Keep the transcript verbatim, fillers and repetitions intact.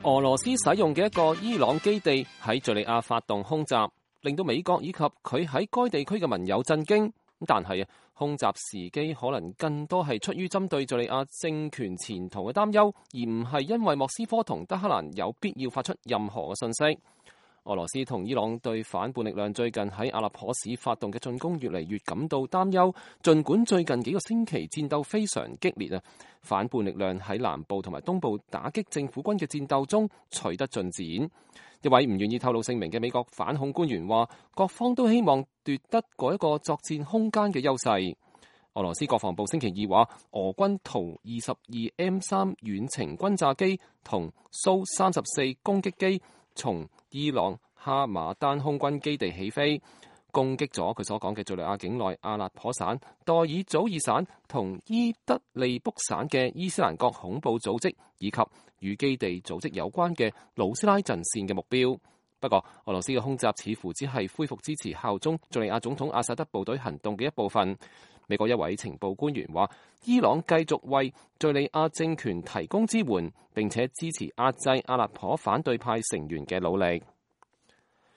俄羅斯使用嘅一個伊朗基地喺敘利亞發動空襲，令到美國以及佢喺該地區嘅盟友震驚。但係啊，空襲時機可能更多係出於針對敘利亞政權前途嘅擔憂，而唔係因為莫斯科同德黑蘭有必要發出任何嘅信息。俄羅斯同伊朗對反叛力量最近喺阿勒頗市發動嘅進攻越嚟越感到擔憂，儘管最近幾個星期戰鬥非常激烈啊，反叛力量喺南部同埋東部打擊政府軍嘅戰鬥中取得進展。一位唔願意透露姓名嘅美國反恐官員話，各方都希望奪得嗰一個作戰空間嘅優勢。俄羅斯國防部星期二話，俄軍圖二十二 M 三遠程轟炸機同蘇三十四攻擊機從伊朗哈馬丹空軍基地起飛，攻擊咗佢所講嘅敘利亞境內阿勒頗省、代爾祖爾省同伊德利卜省嘅伊斯蘭國恐怖組織以及與基地組織有關嘅魯斯拉陣線嘅目標。不過，俄羅斯嘅空襲似乎只係恢復支持效忠敘利亞總統阿薩德部隊行動嘅一部分。美國一位情報官員話，伊朗繼續為敘利亞政權提供支援，並且支持壓制阿勒頗反對派成員嘅努力。